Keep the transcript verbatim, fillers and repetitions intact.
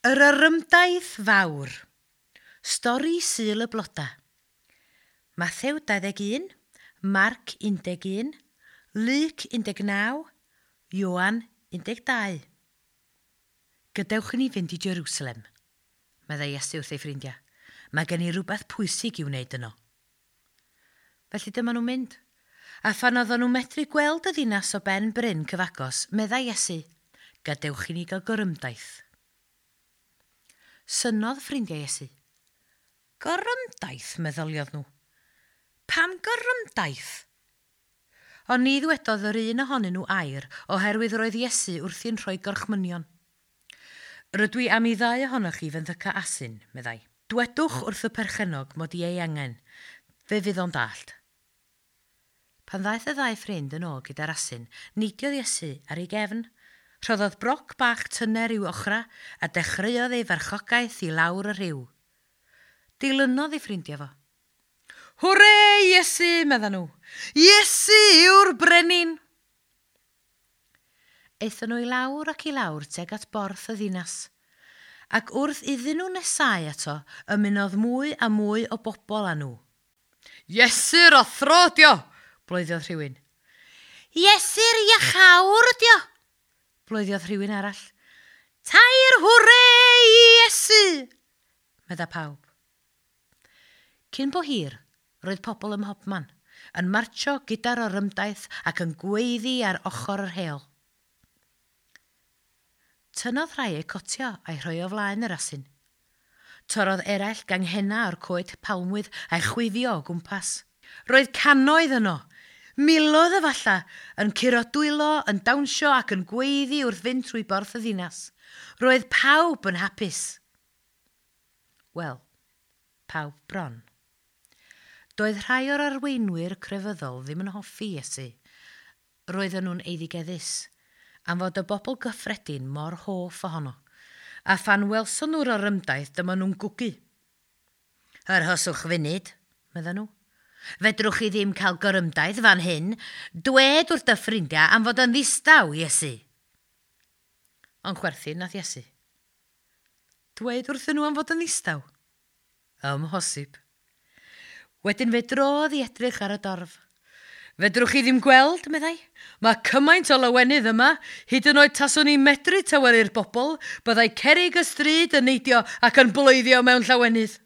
Yr Orymdaith Fawr. Stori Sul y Bloda. Mathew dau ddeg un, Marc un deg un, Luc un deg naw, Ioan un deg dau. Gadewch i ni fynd i Jerusalem, meddai Iesu wrth ei ffrindiau. Mae gen i rhywbeth pwysig i'w wneud yno. Felly dyma nhw'n mynd. A phan oedden nhw'n medru gweld y ddinas o ben bryn cyfagos, meddai Iesu, gadewch i ni gael gorymdaith. Synnodd ffrindiau Iesu. Gorymdaith, meddyliodd nhw. Pam gorymdaith? Ond ni ddwedodd yr un ohonyn nhw air, oherwydd roedd Iesu wrthi'n rhoi gorchmynion. Rydw i am i ddau ohonoch chi fenthyca asyn, meddai. Dwedwch wrth y perchennog mod i ei angen, fe fydd o'n dallt. Pan ddaeth y ddau ffrind yn ôl gyda'r asyn, neidiodd Iesu ar ei gefn. Rhoddodd broc bach tyner i'w ochra a dechreuodd ei farchogaeth i lawr y rhiw. Dilynodd ei ffrindiau fo. Hwre, Iesu, medda nhw. Iesu yw'r brenin! Aethon nhw i lawr ac i lawr tuag at borth y ddinas. Ac wrth iddyn nhw nesáu ato, ymunodd mwy a mwy o bobl â nhw. Iesu'r athro ydi o, bloeddiodd rhywun. Iesu'r iachawr ydi o, bloeddiodd rhywun arall. Tair hwre i Iesu, medda pawb. Cyn bo hir, roedd pobl ym mhobman, yn martsio gyda'r orymdaith ac yn gweiddi ar ochr yr heol. Tynnodd rhai eu cotio a'i rhoi o flaen yr asyn. Torrodd eraill ganghenna o'r coed palmwydd a'i chwifio o gwmpas. Roedd cannoedd yno, miloedd efalla, yn curo dwylo, yn dawnsio ac yn gweiddi wrth fynd trwy borth y ddinas. Roedd pawb yn hapus. Wel, pawb bron. Doedd rhai o'r arweinwyr crefyddol ddim yn hoffi Iesu. Roedden nhw'n eiddigeddus, am fod y bobl gyffredin mor hoff ohono. A phan welson nhw'r orymdaith, dyma nhw'n gwgu. Arhoswch funud, medden nhw. Fedrwch chi ddim cael gorymdaith fan hyn, dwed wrth dy ffrindiau am fod yn ddistaw, Iesu. Ond chwerthin nath Iesu. Dwed wrthyn nhw am fod yn ddistaw? Amhosib. Wedyn fe drodd i edrych ar y dorf. Fedrwch chi ddim gweld, meddai. Mae cymaint o lawenydd yma, hyd yn oed taswn i'n medru tawelu'r bobl, byddai cerrig y stryd yn neidio ac yn bloeddio mewn llawenydd.